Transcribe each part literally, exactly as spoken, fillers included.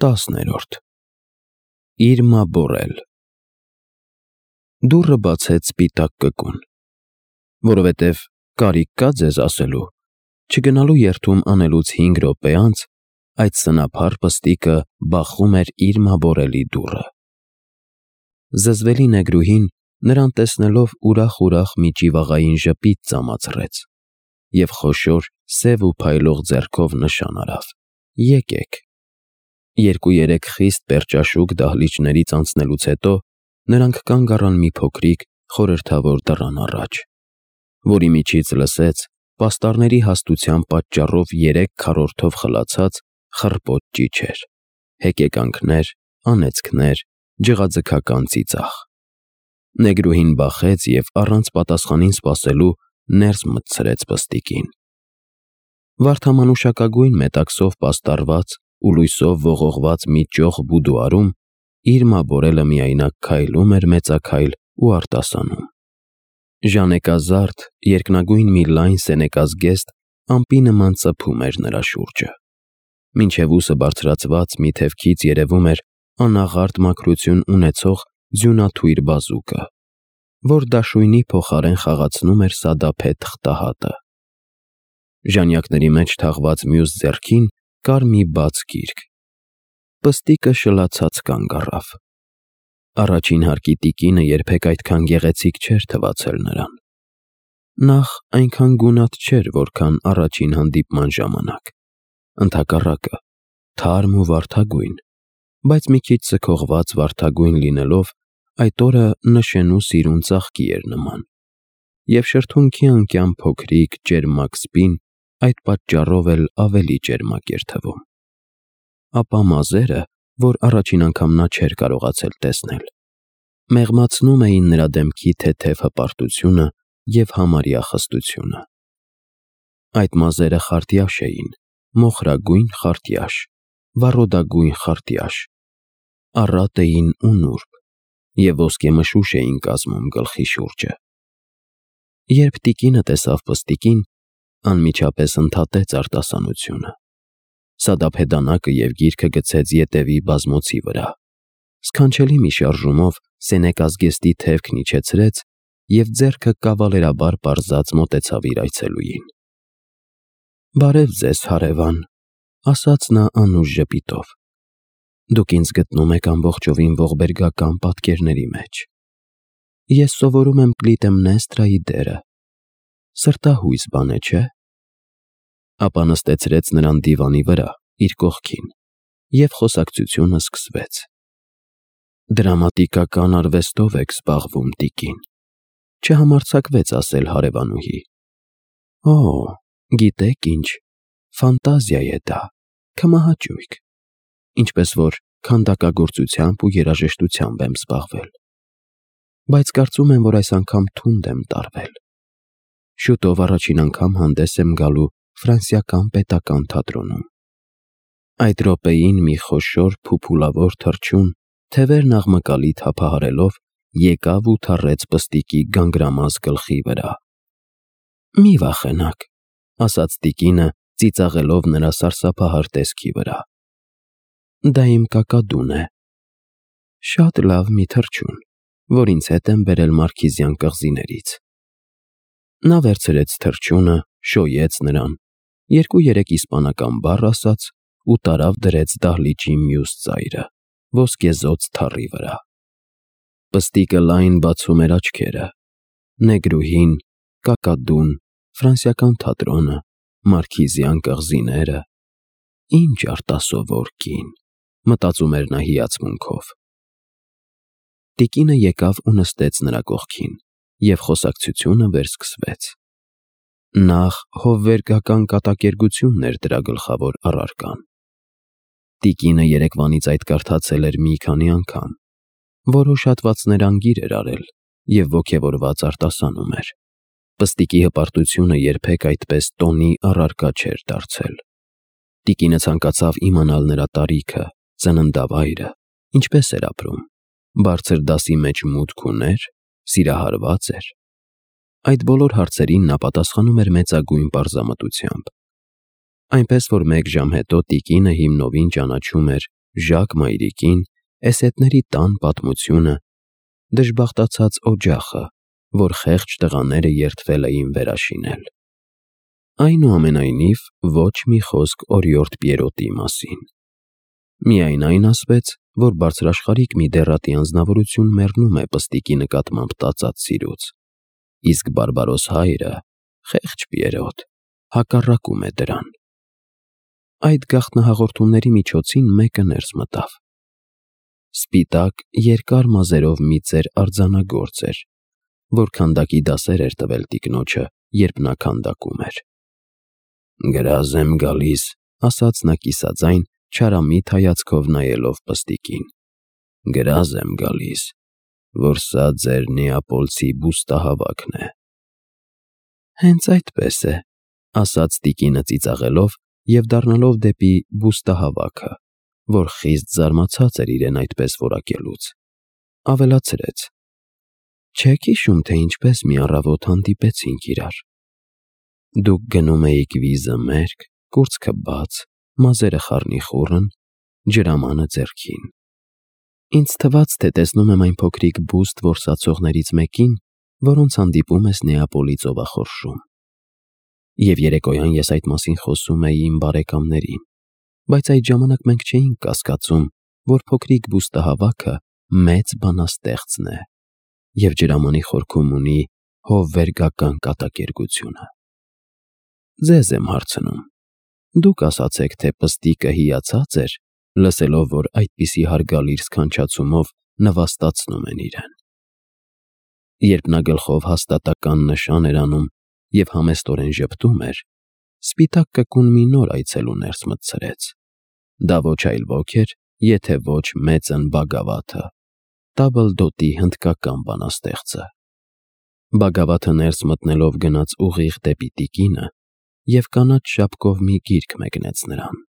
Տասներորդ Իրմա բորել Դուռը բացեց սպիտակ կկուն, որովհետև կարիք կա ձեզ ասելու, չգնալու երթում անելուց հինգ րոպե անց այդ սնափառ պստիկը բախում էր Իրմա բորելի դուռը։ Զզվելի նեգրուհին նրան տեսնելով ուրախ-ուրախ մի ճիվաղային ժպիտ ծամացրեց և խոշոր սև ու փայլող ձեռքով նշան արավ. «Եկեք»։ Երկու-երեք խիստ պերճաշուք դահլիճներից անցնելուց հետո նրանք կանգ առան մի փոքրիկ խորհրդավոր դռան առաջ, որի միջից լսեց պաստառների հաստության պատճառով երեք քառորդով խլացած խռպոտ ճիչեր, հեկեկանքներ, անեծքներ, ջղաձգական ծիծաղ։ Նեգրուհին բախեց և առանց պատասխանին սպասելու ներս մտցրեց պստիկին։ Վարդամանուշակագույն մետաքսով պաստառված ու լույսով ողողված մի ճոխ բուդուարում Իրմա բորելը միայնակ քայլում էր մեծաքայլ ու արտասանում։ Ժանեկազարդ, երկնագույն մի լայն սենեկազգեստ ամպի նման ծփում էր նրա շուրջը, մինչև ուսը բարձրացված մի թևքից երևում էր անաղարտ մաքրություն ունեցող ձյունաթույր բազուկը, որ դաշույնի փոխարեն խաղացնում էր սադափե թղթահատը։ Ժանյակների մեջ թաղված մյուս ձեռքին կար մի բաց գիրք։ Պստիկը շլացած կանգ առավ։ Առաջին հարկի տիկինը երբեք այդքան գեղեցիկ չէր թվացել նրան։ Նախ այնքան գունատ չէր, որքան առաջին հանդիպման ժամանակ, ընդհակառակը, թարմ ու վարդագույն, բայց մի քիչ ձգողված վարդագույն լինելով այդ օրը նշենու սիրուն ծաղկի էր նման, և շրթունքի անկյան փոքրիկ, ճերմակ սպին այդ պատճառով էլ ավելի ճերմակ էր թվում։ Ապա մազերը, որ առաջին անգամ նա չէր կարողացել տեսնել, մեղմացնում էին նրա դեմքի թեթև հպարտությունը և համարյա խստությունը։ Այդ մազերը խարտյաշ էին, մոխրագույն խարտյաշ, վառոդագույն խարտյաշ, առատ էին ու նուրբ և ոսկեմշուշ էին կազմում գլխի շուրջը։ Երբ տիկինը տեսավ պստիկին, անմիջապես ընդհատեց արտասանությունը։ Սադափե դանակը և գիրքը գցեց ետևի բազմոցի վրա, սքանչելի մի շարժումով սենեկազգեստի թևքն իջեցրեց և ձեռքը կավալերաբար պարզած մոտեցավ իր այցելուին։ «Բարև ձեզ, հարևան», ասաց նա անուշ ժպիտով։ «Դուք ինձ գտնում եք ամբողջովին ողբերգական պատկերների մեջ։ Ես սովորում եմ Կլիտեմնեստրայի դերը։ Սրտահույս բան է, չէ՞»։ Ապա նստեցրեց նրան դիվանի վրա, իր կողքին, և խոսակցությունը սկսվեց։ «Դրամատիկական արվեստով եք զբաղվում, տիկին», չհամարձակվեց ասել հարևանուհի։ «Օ, գիտեք ինչ, ֆանտազիա է դա, քմահաճույք, ինչպես որ քանդակագործությամբ ու երաժշտությամբ եմ զբաղվել։ Բայց կարծում եմ, որ այս անգամ թունդ եմ տարվել։ Շուտով առաջին անգամ հանդես եմ գալու Ֆրանսիական պետական թատրոնում»։ Այդ րոպեին մի խոշոր փուփուլավոր թռչուն, թևերն աղմկալի թափահարելով, եկավ ու թռեց պստիկի գանգրամազ գլխի վրա։ «Մի վախենաք», ասաց տիկինը, ծիծաղելով նրա սարսափահար տեսքի վրա։ «Դա իմ կակադուն է։ Շատ լավ մի թռչուն, որ ինձ հետ եմ բերել Մարքիզյան կղզիներից»։ Նա վերցրեց թռչունը, շոյեց նրան, երկու-երեք իսպանական բառ ասաց ու տարավ դրեց դահլիճի մյուս ծայրը, ոսկեզօծ թառի վրա։ Պստիկը լայն բացում էր աչքերը։ Նեգրուհին, կակադուն, Ֆրանսիական թատրոնը, Մարքիզյան կղզիները… Ինչ արտասովոր կին, մտածում էր նա հիացմունքով։ Տիկինը եկավ ու նստեց նրա կողքին, և խոսակցությունը վերսկսվեց։ Նախ հովվերգական կատակերգությունն էր դրա գլխավոր առարկան։ Տիկինը երեկվանից այդ կարդացել էր մի քանի անգամ, որոշ հատվածներ անգիր էր արել և ոգևորված արտասանում էր։ Պստիկի հպարտությունը երբեք այդպես տոնի առարկա չէր դարձել։ Տիկինը ցանկացավ իմանալ նրա տարիքը, ծննդավայրը, ինչպես էր ապրում, բարձր դասի մեջ մուտք ուներ, սիրահարվա՞ծ էր։ Այդ բոլոր հարցերին նա պատասխանում էր մեծագույն պարզամտությամբ, այնպես որ մեկ ժամ հետո տիկինը հիմնովին ճանաչում էր Ժակ մայրիկին, էսետների տան պատմությունը, դժբախտացած օջախը, որ խեղճ տղաները երդվել էին վերաշինել։ Այնուամենայնիվ, ոչ մի խոսք օրիորդ Պիերոտի մասին։ Միայն այն ասվեց, որ բարձրաշխարհիկ մի դեռատի անձնավորություն մեռնում է պստիկի նկատմամբ տածած սիրուց, իսկ բարբարոս հայրը, խեղճ Պիերոտ, հակառակում է դրան։ Այդ գաղտնահաղորդումների միջոցին մեկը ներս մտավ։ Սպիտակ, երկար մազերով մի ծեր արձանագործ էր, որ քանդակի դասեր էր տվել տիկնոջը, երբ նա քանդակում էր։ «Գրազ եմ գալիս», ասաց նա կիսաձայն, չարամիտ հայացքով նայելով պստիկին։ «Գրազ եմ գալիս, որ սա ձեր նեապոլցի բուստահավաքն է»։ «Հենց այդպես է», ասաց տիկինը ծիծաղելով և դառնալով դեպի բուստահավաքը, որ խիստ զարմացած էր իրեն այդպես որակելուց, ավելացրեց. «Չեք հիշում, թե ինչպես մի առավոտ հանդիպեցինք իրար։ Դուք գնում էիք վիզը մերկ, կուրծքը բաց, մազերը խառնիխուռն, ջրամանը ձեռքին։ Ինձ թվաց, թե տեսնում եմ այն փոքրիկ բուստ որսացողներից մեկին, որոնց հանդիպում ես Նեապոլի ծովախորշում։ Եվ երեկոյան ես այդ մասին խոսում էի իմ բարեկամներին, բայց այդ ժամանակ մենք չէինք կասկածում, որ փոքրիկ բուստահավաքը մեծ բանաստեղծն է և ջրամանի խորքում ունի հովվերգական կատակերգությունը։ Ձեզ եմ հարցնում. դուք ասացեք, թե պստիկը հիացած էր, լսելով, որ այդպիսի հարգալից սքանչացումով նվաստացնում են իրեն»։ Երբ նա գլխով հաստատական նշան էր անում և համեստորեն ժպտում էր, սպիտակ կկուն մի նոր այցելու ներս մտցրեց։ Դա ոչ այլ ոք էր, եթե ոչ մեծն Բագավաթը, Տաբլդոտի հնդկական բանաստեղծը։ Բագավաթը ներս մտնելով գնաց ուղիղ դեպի տիկինը և կանաչ շապկով մի գիրք մեկնեց նրան։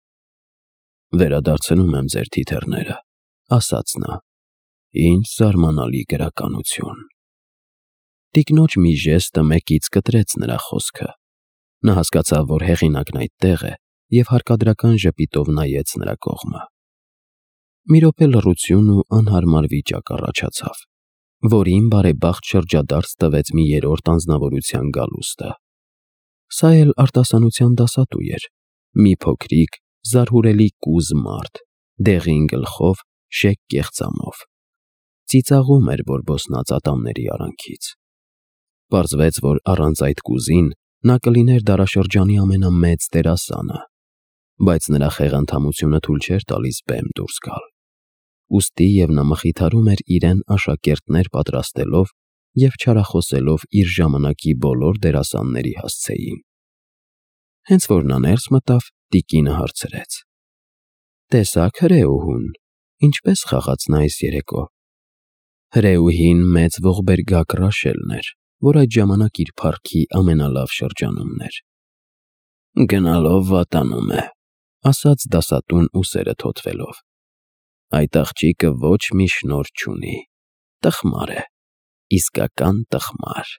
«Վերադարձնում եմ ձեր թիթեռները», ասաց նա։ «Ինչ զարմանալի գրականություն»։ Տիկնոջ մի ժեստը մեկից կտրեց նրա խոսքը։ Նա հասկացավ, որ հեղինակն այդտեղ է, և հարկադրական ժպիտով նայեց նրա կողմը։ Մի րոպե լռություն ու անհարմար վիճակ առաջացավ, որին բարեբախտ շրջադարձ տվեց մի երրորդ անձնավորության գալուստը։ Սա էլ արտասանության դասատու էր, մի փոքրիկ, զարհուրելի կուզ մարդ, դեղին գլխով, շեկ կեղծամով։ Ծիծաղում էր բորբոսնած ատամների արանքից։ Պարզվեց, որ առանց այդ կուզին նա կլիներ դարաշրջանի ամենամեծ դերասանը, բայց նրա խեղանդամությունը թույլ չէր տալիս բեմ դուրս գալ։ Ուստի և նա մխիթարում էր իրեն աշակերտներ պատրաստելով և չարախոսելով իր ժամանակի բոլոր դերասանների հասցեին։ Հենց որ նա ներս մտավ, տիկինը հարցրեց. «Տեսա՞ք հրեուհուն, ինչպես խաղաց նա այս երեկո»։ Հրեուհին մեծ ողբերգակ Ռաշելն էր, որ այդ ժամանակ իր փառքի ամենալավ շրջանումն էր։ «Գնալով վատանում է», ասաց դասատուն ուսերը թոթվելով։ «Այդ աղջիկը ոչ մի շնորհ չունի, տխմար է, իսկական տխմար»։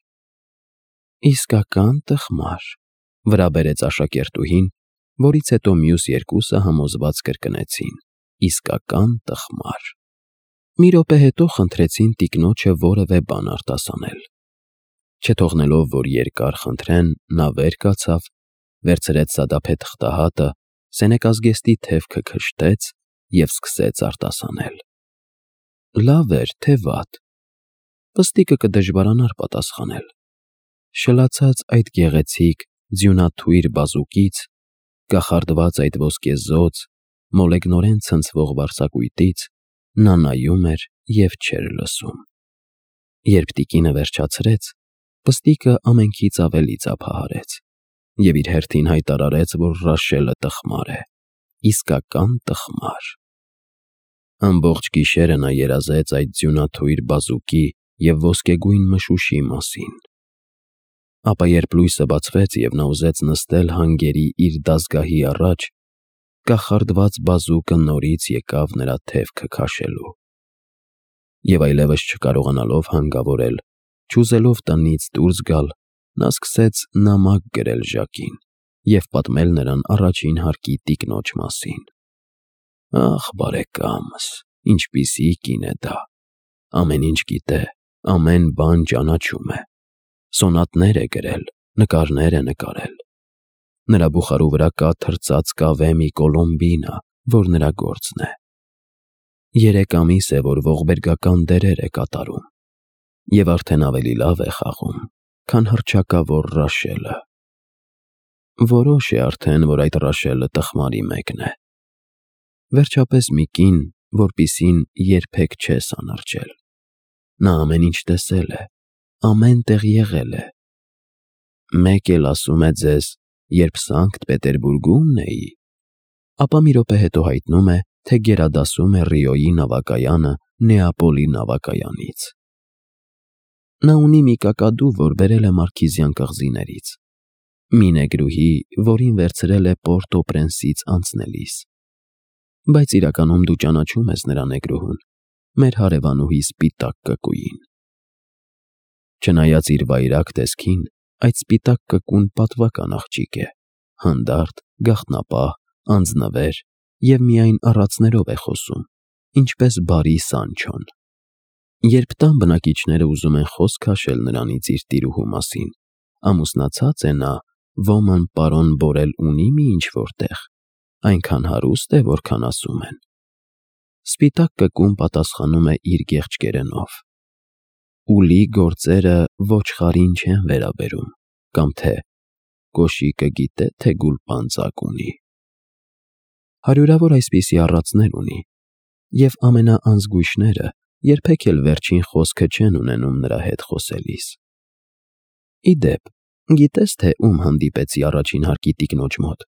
«Իսկական տխմար», վրա բերեց աշակերտուհին, որից հետո մյուս երկուսը համոզված կրկնեցին. «Իսկական տխմար»։ Մի րոպե հետո խնդրեցին տիկնոջը որևէ բան արտասանել։ Չթողնելով, որ երկար խնդրեն, նա վեր կացավ, վերցրեց սադափե թղթահատը, սենեկազգեստի թևքը քշտեց և սկսեց արտասանել։ Լավ էր, թե վատ։ Պստիկը կդժվարանար պատասխանել։ Շլացած այդ գեղեցիկ, ձյունաթույր բազուկից, կախարդված այդ ոսկեզօծ, մոլեգնորեն ցնցվող վարսակույտից նա նայում էր և չէր լսում։ Երբ տիկինը վերջացրեց, պստիկը ամենքից ավելի ծափահարեց և իր հերթին հայտարարեց, որ Ռաշելը տխմար է, իսկական տխմար։ Ամբողջ գիշերը նա երազեց այդ ձյունաթույր բազուկի և ոսկեգույն մշուշի մասին։ Ապա երբ լույսը բացվեց և նա ուզեց նստել հանգերի իր դազգահի առաջ, կախարդված բազուկը նորից եկավ նրա թևքը քաշելու։ Եվ այլևս չկարողանալով հանգավորել, չուզելով տնից դուրս գալ, նա սկսեց նամակ գրել Ժակին և պատմել նրան առաջին հարկի տիկնոջ մասին։ Ախ, բարեկամս, ինչպիսի կին է դա։ Ամեն ինչ գիտե, ամեն բան ճանաչում է։ Սոնատներ է գրել, նկարներ է նկարել։ Նրա բուխարու վրա կա թրծած կավե մի կոլոմբինա, որ նրա գործն է։ Երեք ամիս է, որ ողբերգական դերեր է կատարում, և արդեն ավելի լավ է խաղում, քան հռչակավոր Ռաշելը։ Որոշ է արդեն, որ այդ Ռաշելը տխմարի մեկն է։ Վերջապես մի կին, որպիսին երբեք չես անարճել։ Նա ամեն ինչ տեսել է, ամեն տեղ եղել է։ Մեկ էլ ասում է ձեզ, երբ Սանկտ Պետերբուրգումն էի, ապա մի րոպե հետո հայտնում է, թե գերադասում է Ռիոյի նավակայանը Նեապոլի նավակայանից։ Նա ունի մի կակադու, որ բերել է Մարքիզյան կղզիներից, մի նեգրուհի, որին վերցրել է Պորտո-Պրենսից անցնելիս։ Բայց իրականում դու ճանաչում ես նրա նեգրուհուն, մեր հարևանուհի Սպիտակ կկուին։ Չնայած իր վայրագ տեսքին, այդ Սպիտակ կկուն պատվական աղջիկ է, հանդարտ, գաղտնապահ, անձնվեր և միայն առածներով է խոսում, ինչպես բարի Սանչոն։ Երբ տան բնակիչները ուզում են խոսք քաշել նրանից իր տիրուհու մասին, ամուսնացած է նա, ոման պարոն Բորել ունի մի ինչ-որ տեղ, այնքան հարուստ է, որքան ասում են։ Սպիտակ կկուն պատասխանում է իր գեղչկերենով. Ուլի գործերը ոչխարին չեն վերաբերում, կամ թե կոշիկը գիտե, թե գուլպանծակ ունի։ Հարյուրավոր այսպիսի առածներ ունի, և ամենաանզգույշները երբեք էլ վերջին խոսքը չեն ունենում նրա հետ խոսելիս։ Ի դեպ, գիտես, թե ում հանդիպեցի առաջին հարկի տիկնոջ մոտ։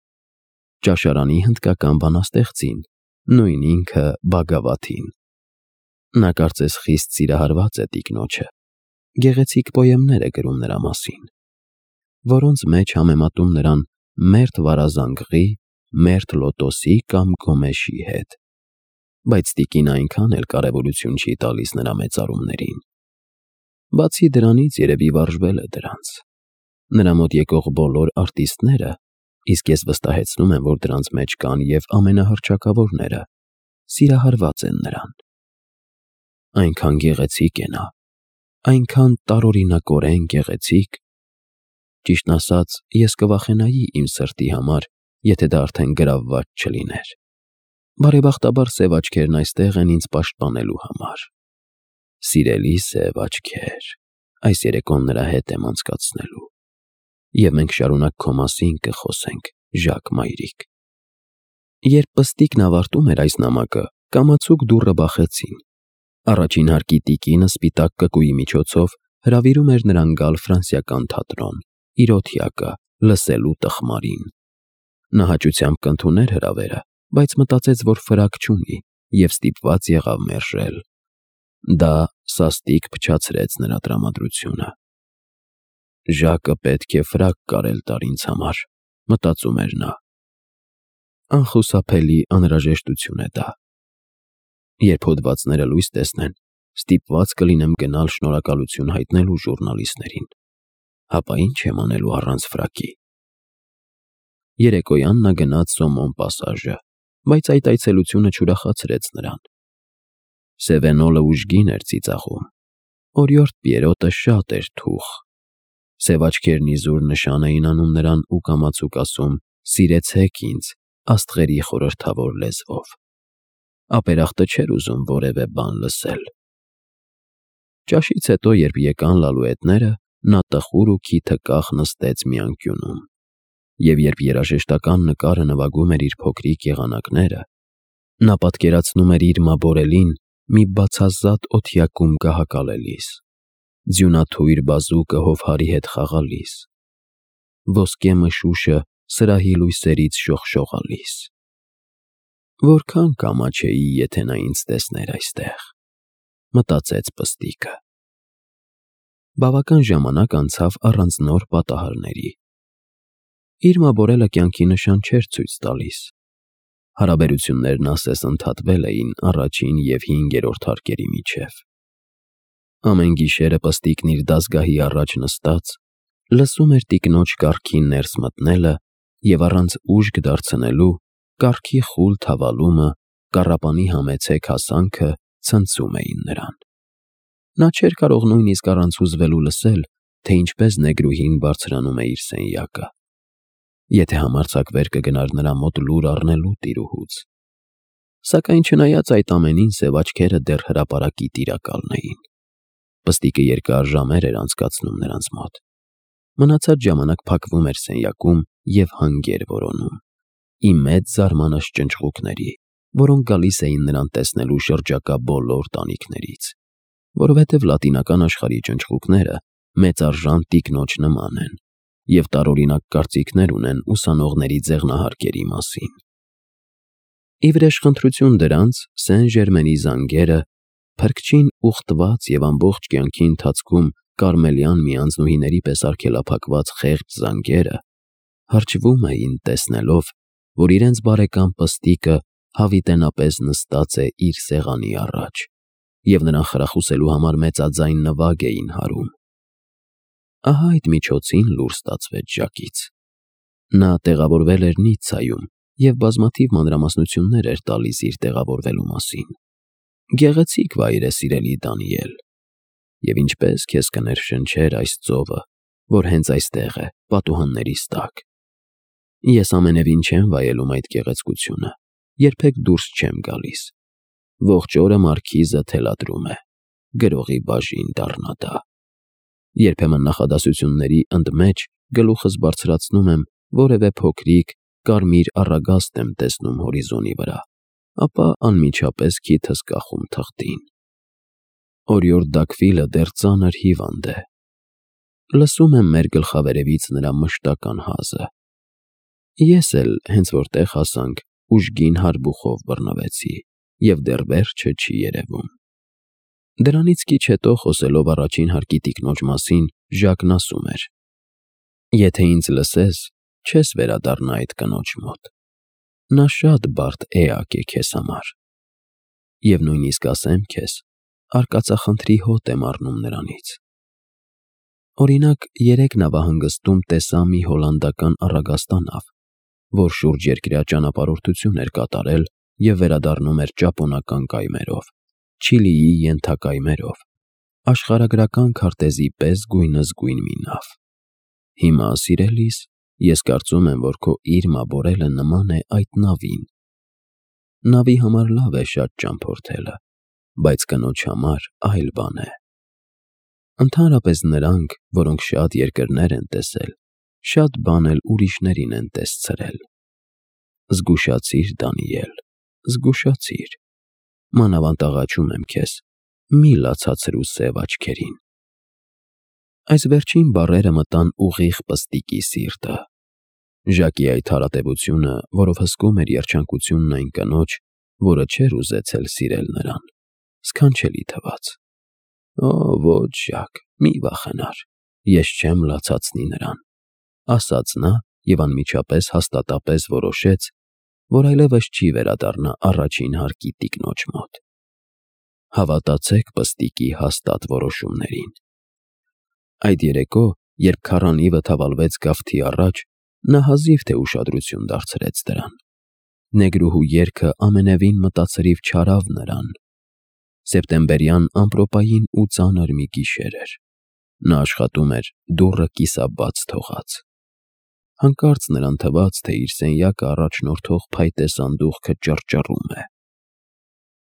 Ճաշարանի հնդկական բանաստեղծին, նույն ինքը Բագավաթին։ Նա կարծես խիստ սիրահարված է տիկնոջը, գեղեցիկ պոեմներ է գրում նրա մասին, որոնց մեջ համեմատում նրան մերթ վարազանգղի, մերթ լոտոսի կամ գոմեշի հետ, բայց տիկինը այնքան էլ կարևորություն չի տալիս նրա մեծարումներին։ Բացի դրանից երևի վարժվել է դրանց։ Նրա մոտ եկող բոլոր արտիստները, իսկ ես վստահեցնում եմ, որ դրանց մեջ կան և ամենահռչակավորները, սիրահարված են նրան։ Այնքան գեղեցիկ է նա, այնքան տարօրինակորեն գեղեցիկ։ Ճիշտն ասած, ես կվախենայի իմ սրտի համար, եթե դա արդեն գրավված չլիներ։ Բարեբախտաբար սև աչքերն այստեղ են ինձ պաշտպանելու համար։ Սիրելի սև աչքեր, այս երեկոն նրա հետ եմ անցկացնելու, և մենք շարունակ քո մասին կխոսենք, Ժակ մայրիկ։ Երբ պստիկն ավարտում էր այս նամակը, կամացուկ դուռը բախեցին։ Առաջին հարկի տիկինը Սպիտակ կկուի միջոցով հրավիրում էր նրան գալ ֆրանսիական թատրոն, իր օթյակը, լսելու տխմարին։ Նա հաճությամբ կընդուներ հրավերը, բայց մտածեց, որ ֆրակ չունի, և ստիպված եղավ մերժել։ Դա սաստիկ փչացրեց նրա տրամադրությունը։ Ժակը պետք է ֆրակ կարել տար ինձ համար, մտածում էր նա։ Անխուսափելի անհրաժեշտություն է դա։ Երբ հոդվածները լույս տեսնեն, ստիպված կլինեմ գնալ շնորհակալություն հայտնելու ժուռնալիստներին, հապա ինչ եմ անելու առանց ֆրակի։ Երեկոյան նա գնաց Սոմոն պասաժը, բայց այդ այցելությունը չուրախացրեց նրան։ Սևենոլը ուժգին էր ծիծաղում, օրիորդ Պիերոտը շատ էր թուխ։ Սև աչքերն իզուր նշան էին անում նրան ու կամացուկ ասում. «Սիրեցեք ինձ» աստղերի խորհրդավոր լեզվով։ Ապերախտը չէր ուզում որևէ բան լսել։ Ճաշից հետո, երբ եկան լալուետները, նա տխուր ու քիթը կախ նստեց մի անկյունում, և երբ երաժշտական նկարը նվագում էր իր փոքրիկ եղանակները, նա պատկերացնում էր իր մաբորելին մի բացազատ օթյակում կահակալելիս, ձյունաթույր բազուկը հովհարի հետ խաղալիս, ոսկե մշուշը սրահի լույսերից շողշողալիս։ Որքան կամաչեի, եթե նա ինձ տեսներ այստեղ, մտածեց պստիկը։ Բավական ժամանակ անցավ առանց նոր պատահարների։ Իր մաբորելը կյանքի նշան չէր ցույց տալիս։ Հարաբերություններն ասես ընդհատվել էին առաջին և հինգերորդ հարկերի միջև։ Ամեն գիշերը պստիկն իր դասգահի առաջ նստած, լսում էր տիկնոջ կառքին ներս մտնելը և առանց ուժգ դարձնելու կառքի խուլ թավալումը կառապանի համեցեք հասանքը ցնցում էին նրան։ Նա չէր կարող նույնիսկ առանց հուզվելու լսել, թե ինչպես նեգրուհին բարձրանում է իր սենյակը։ Եթե համարձակվեր կգնար նրա մոտ լուր առնելու տիրուհուց։ Սակայն չնայած այդ ամենին, սև աչքերը դեռ հրապարակի տիրակալն էին։ Պստիկը երկար ժամեր էր անցկացնում նրանց մոտ։ Մնացած ժամանակ փակվում էր սենյակում և հանգեր որոնում, ի մեծ զարմանաշ ճնճղուկների, որոնք գալիս էին նրան տեսնելու շրջակա բոլոր տանիքներից, որովհետև լատինական աշխարհի ճնճղուկները մեծարժան տիկնոջ նման են և տարօրինակ կարծիքներ ունեն ուսանողների ձեղնահարկերի մասին։ Ի վրեժխնդրություն դրանց, Սեն Ժերմենի զանգերը, փրկչին ուխտված և ամբողջ կյանքի ընթացքում կարմելյան մի անձնուհիների պես արգելափակված խեղճ զանգերը, հրճվում էին տեսնելով, որ իրենց բարեկամ պստիկը հավիտենապես նստած է իր սեղանի առաջ և նրան խրախուսելու համար մեծաձայն նվագ էին հարում։ Ահա այդ միջոցին լուր ստացվեց Ժակից։ Նա տեղավորվել էր Նիցցայում և բազմաթիվ մանրամասնություններ էր տալիս իր տեղավորվելու մասին։ Գեղեցիկ վայր է, սիրելի Դանիել, և ինչպես քեզ կներշնչեր այս ծովը, որ հենց այստեղ է, պատուհաններիս տակ։ Ես ամենևին չեմ վայելում այդ գեղեցկությունը, երբեք դուրս չեմ գալիս։ Ողջ օրը մարքիզը թելադրում է, գրողի բաժին դառնա դա։ Երբեմն նախադասությունների ընդմեջ գլուխս բարձրացնում եմ, որևէ փոքրիկ, կարմիր առագաստ եմ տեսնում հորիզոնի վրա, ապա անմիջապես քիթս կախում թղթին։ Օրիորդ Դաքվիլը դեռ ծանր հիվանդ է։ Լսում եմ մեր գլխավերևից նրա մշտական հազը։ Ես էլ, հենց որ տեղ հասանք, ուժգին հարբուխով բռնվեցի, և դեռ վերջը չի երևում։ Դրանից քիչ հետո, խոսելով առաջին հարկի տիկնոջ մասին, Ժակն ասում էր. «Եթե ինձ լսես, չես վերադառնա այդ կնոջ մոտ։ Նա շատ բարդ էակ է քեզ համար։ Եվ նույնիսկ ասեմ քեզ, արկածախնդրի հոտ եմ առնում նրանից»։ Օրինակ, երեկ նավահանգստում տեսա մի հոլանդական առագաստանավ, որ շուրջերկրյա ճանապարհորդություն էր կատարել և վերադառնում էր ճապոնական կայմերով, Չիլիի ենթակայմերով, աշխարհագրական քարտեզի պես գույնզգույն մի նավ։ Հիմա, սիրելիս, ես կարծում եմ, որ քո Իրմա Բորելը նման է այդ նավին։ Նավի համար լավ է շատ ճամփորդելը, բայց կնոջ համար այլ բան է։ Ընդհանրապես նրանք, որոնք շատ երկրներ են տեսել, շատ բան էլ ուրիշներին են տեսցրել։ Զգուշացիր, Դանիել, զգուշացիր, մանավանդ աղաչում եմ քեզ, մի լացացրու սև աչքերին։ Այս վերջին բառերը մտան ուղիղ պստիկի սիրտը։ Ժակի այդ հարատևությունը, որով հսկում էր երջանկությունն այն կնոջ, որը չէր ուզեցել սիրել նրան, սքանչելի թվաց։ Օ, ոչ, Ժակ, մի վախենար, ես չեմ լացացնի նրան, ասաց նա և անմիջապես հաստատապես որոշեց, որ այլևս չի վերադառնա առաջին հարկի տիկնոջ մոտ։ Հավատացեք պստիկի հաստատ որոշումներին։ Այդ երեկո, երբ քառանիվը թավալվեց գավթի առաջ, նա հազիվ թե ուշադրություն դարձրեց դրան։ Նեգրուհու երգը ամենևին մտածրիվ չարավ նրան։ Սեպտեմբերյան ամպրոպային ու ծանր մի գիշեր էր։ Նա աշխատում էր, դուռը կիսաբաց թողած։ Հանկարծ նրան թվաց, թե իր սենյակը առաջնորդող փայտե սանդուղքը ճռճռում է։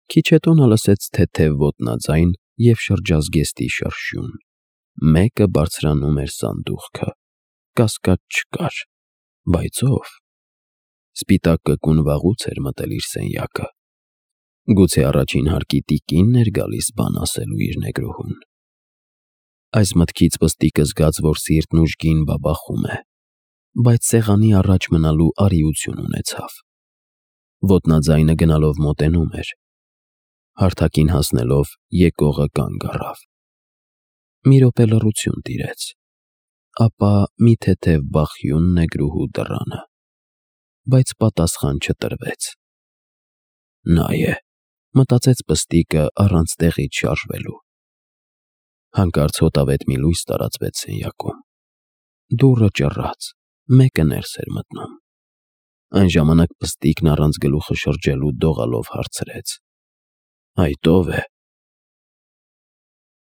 Քիչ հետո նա լսեց թեթև ոտնաձայն և շրջազգեստի շրշյուն։ Մեկը բարձրանում էր սանդուղքը։ Կասկած չկար, բայց ո՞վ։ Սպիտակ կկուն վաղուց էր մտել իր սենյակը։ Գուցե առաջին հարկի տիկինն էր գալիս բան ասելու իր նեգրուհուն։ Այս մտքից պստիկը զգաց, որ սիրտն ուժգին բաբախում է, բայց սեղանի առաջ մնալու արիություն ունեցավ։ Ոտնաձայնը գնալով մոտենում էր։ Հարթակին հասնելով եկողը կանգ առավ։ Մի րոպե լռություն տիրեց, ապա մի թեթև բախյուն նեգրուհու դռանը, բայց պատասխան չտրվեց։ Նա է, մտածեց պստիկը առանց տեղից շարժվելու։ Հանկարծ հոտավետ մի լույս տարածվեց սենյակում։ Դուռը ճռաց, մեկը ներս էր մտնում։ Այն ժամանակ Պստիկն առանց գլուխը շրջելու դողալով հարցրեց. «Այդ ո՞վ է»։